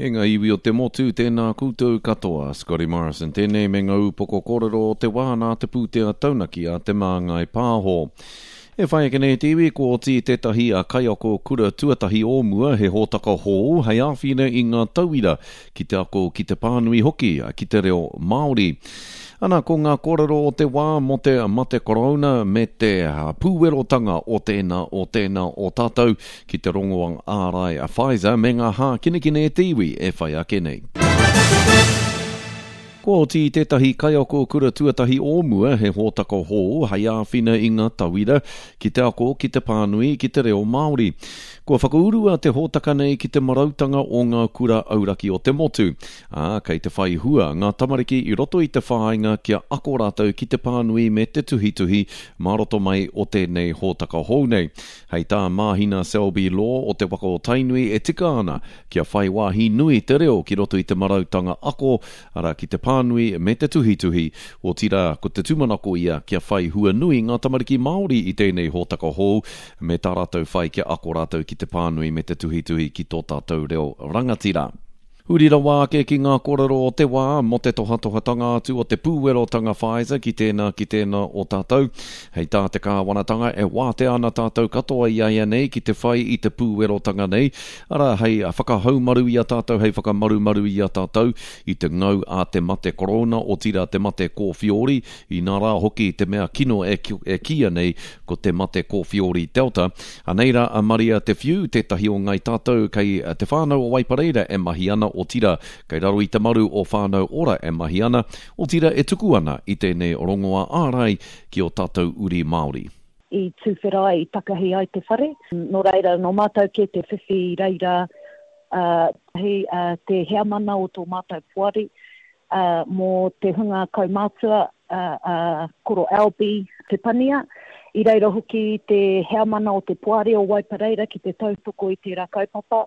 E ngā iwi o te motu, tēnā koutou katoa. Scotty Morrison tēnei me ngā upoko kōrero o te wā nā te pūtea taunaki a Te Māngai Pāho. E whai ake nei te iwi, kua oti tētahi a kaiako kura tuatahi o mua he hōtaka hou hei āwhina i ngā tauira ki te ako ki te pānui hoki ki te reo Māori. Ana, ko ngā kōrero o te wā mō te mate korouna me te pūwerotanga o tēnā, o tēnā o tātou ki te rongoa ārai a Pfizer me ngā hākinakina e te iwi e whai ake nei. Kua oti i tētahi kaiako kura tuatahi o mua he hōtaka hou hei āwhina i ngā tauira ki te ako ki te pānui ki te reo Māori. Kua whakaurua te hōtaka nei ki te marautanga o ngā kura auraki o te motu, ā, kei te whai hua ngā tamariki i roto i te whāinga kia ako rātou ki te pānui me te tuhituhi mā roto mai o tēnei hōtaka hou nei. Hei tā Māhina Selby Law o Te Waka o Tainui e tika ana kia whai wāhi nui te reo ki roto i te marautanga ako, arā ki te pānui me te tuhituhi, otirā ko te tūmanako ia kia whai hua nui ngā tamariki Māori i tēnei hōtaka hou me tā rātou whai kia ako rātou ki te pānui me te tuhituhi ki tō tātou reo rangatira. Huri rawa ake ki ngā kōrero o te wā mō te tohatohatanga atu o te pūwerotanga Pfizer ki tēnā ki tēnā o tātou. Hei tā te kāwanatanga e wātea ana tātou katoa iaianei ki te whai i te pūwerotanga nei, arā hei whakahaumaru i a tātou, hei whakamarumaru i a tātou i te ngau a te mate korona, otirā te mate kōwhiori, inā rā hoki te mea kino e kīia nei ko te mate kōwhiori Delta. Anei rā a Maria Te Whiu, tētahi o Ngai Tātou kei Te Whānau o Waipareira e mahi ana, otirā, kei raro i te maru o Whānau Ora e mahi ana, otirā e tuku ana i tēnei rongoā ārai ki ō tātou uri Māori. I tuwhera ai, i takahi ai te whare. Nō reira, nō mātou kē te whiwhi i reira, ā, te heamana o tō mātou poari, ā, mō te hunga kaumātua, ā, ā, Koro Alby Te Pania. I reira hoki te heamana o te Poari o Waipareira ki te tautoko i tērā kaupapa.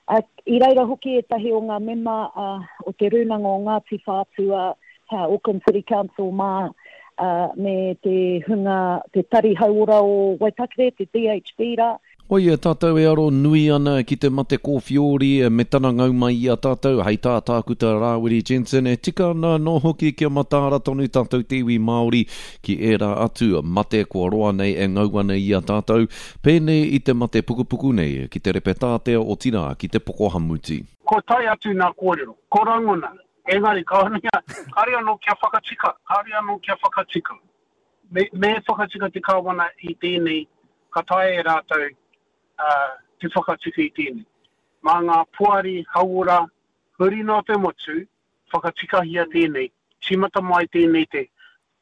Ā, i reira hoki ētahi o ngā mema, ā, o te Rūnanga o Ngāti Whātua, Auckland City Council mā, ā, me te hunga, te Tari Hauora o Waitakere, te DHB rā. Koia tātou e aro nui ana ki te mate kōwhiori me tana ngau mai i a tātou, hei tā Tākuta Rāwiri Jensen, e tika ana anō hoki kia mataara tonu tātou te iwi Māori ki ērā atu mate kua roa nei e ngau ana i a tātou, pēnei i te mate pukupuku nei, ki te repetātea otirā ki te pokohamuti. Kua tae atu nā kōrero, ko rangona, engari kāore anō kia whakatika, kāore anō kia whakatika. Me, me whakatika te Kāwana i tēnei, ka taea e rātou te whakatika i tēnei. Mā ngā poari hauora huri noa te motu, whakatikahia tēnei, tīmata mai tēnei te,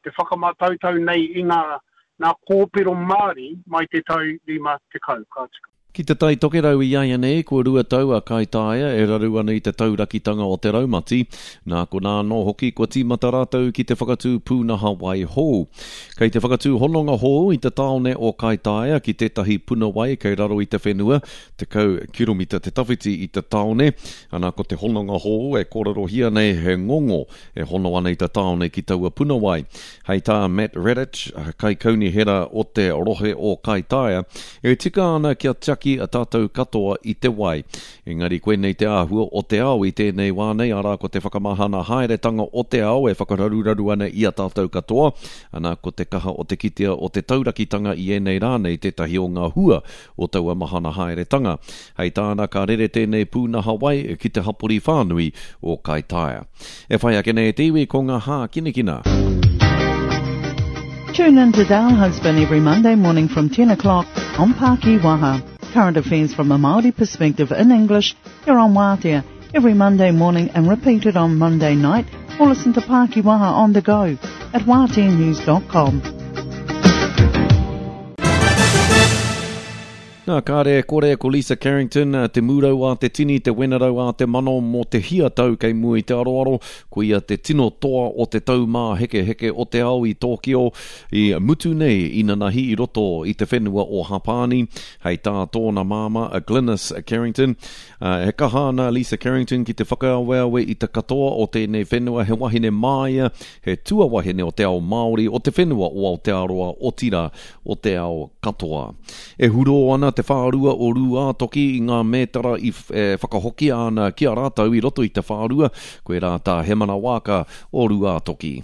te whakamātautau nei i ngā, ngā kōpero Māori mai te tau 50, ka tika. Ki Te Tai Tokerau iaianei, kua 2 tau a Kaitaia e raru ana i te taurakitanga o te raumati, nā konā anō hoki kua tīmata rātou ki te whakatū pūnaha wai hou. Kei te whakatū hononga hou i te tāone o Kaitaia ki tētahi puna wai kei raro i te whenua, 10 kiromita te tawhiti i te tāone, ana ko te hononga hou e kōrerohia nei he ngongo e hono ana i te tāone ki taua puna wai. Hei tā Matt Radich, Kaikaunihera o te rohe o Kaitaia, e tika ana kia tiaki a tātou katoa i te wai. Engari koinei te āhua o te ao i tēnei wā nei, arā ko te whakamahana haeretanga o te ao e whakararuraru ana i a tātou katoa, ana ko te kaha o te kitea o te taurakitanga i ēnei rā nei tētahi o ngā hua o taua mahana haeretanga. Hei tāna ka rere tēnei pūnaha wai ki te hapori whānui o Kaitaia. E whai ake nei te iwi ko ngā hākinakina. Tune in to Dale Husband every Monday morning from 10 o'clock on Paki Waha. Current affairs from a Māori perspective in English here on Wātea every Monday morning and repeated on Monday night or listen to Paki Waha on the go at wāteanews.com. Nā, kāre e kore, ko Lisa Carrington, te mūrau a te tini, te wenerau a te mano mō te hia tau kei mua i te aroaro, ko ia te tino toa o te taumāhekeheke o te ao i Tōkio, i mutu nei inanahi i roto i te whenua o Hapāni, hei tā tōna māmā a Glynis Carrington. He kaha ana Lisa Carrington ki te whakaaweawe i te katoa o tēnei whenua, he wahine māia, he tuawahine o te ao Māori, o te whenua o Aotearoa, otirā, o te ao katoa. E hurō ana. te whārua o Rūātoki i ngā mētara i e whakahokia ana ki a rātou i roto i te whārua, koirā tā Hemana Waaka o Rūātoki.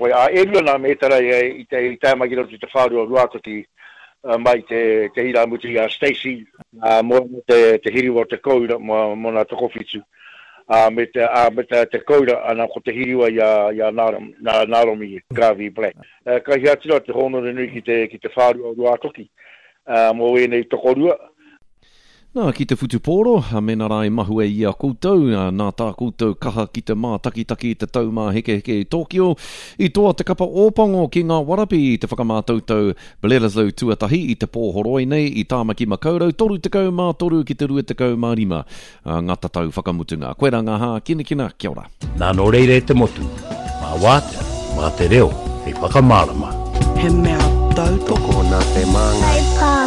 Wai, ā, e rua nā mētara i tae mai ki roto i te whārua o Rūātoki mai te te irāmutu i a Stacey, ā, mōna te te hiriwa o te koura, mōna tokowhitu, ā, me te, ā, me te, te koura, ana, ko te hiriwa i a, i a Nāromi Garvey Black. Ka hia atu rā te hōnore nui ki te, ki te whārua o Ruātoki, ā, mō ēnei tokorua. Nā, ki te whutupōro, mēnā rā i mahue i a koutou, nā tā koutou kaha ki te mātakitaki i te Taumāhekeheke i Tōkio, i toa te kapa Ōpango ki ngā warapi i te whakamātautau Bledisloe tuatahi i te pō horoi nei i Tāmaki Makaurau 33 ki te 25. Ā, ngā tatau whakamutunga. Koirā ngā hākinakina, kia ora. Nā nō reira e te motu, mā wātea, mā te reo hei whakamārama. He mea tautoko. Tokona te māngai. Hei pā.